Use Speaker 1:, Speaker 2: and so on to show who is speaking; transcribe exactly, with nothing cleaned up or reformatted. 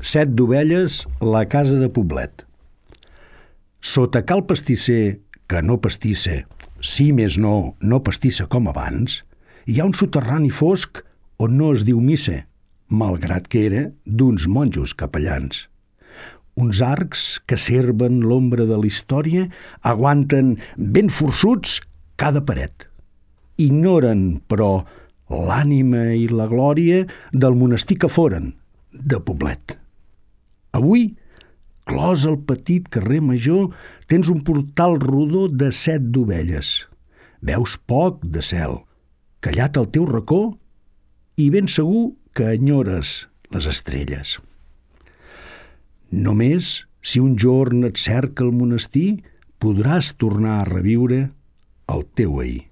Speaker 1: Set d'ovelles, la casa de Poblet. Sota cal pastisser, que no pastissa, si més no, no pastissa com abans, hi ha un soterrani fosc on no es diu missa, malgrat que era d'uns monjos capellans. Uns arcs que serven l'ombra de la història aguanten ben forçuts cada paret. Ignoren, però, l'ànima i la glòria del monestir que foren, de Poblet. Avui, clos al petit carrer Major, tens un portal rodó de set d'ovelles. Veus poc de cel, callat al teu racó, i ben segur que enyores les estrelles. Només si un jorn et cerca el monestir, podràs tornar a reviure el teu ahir.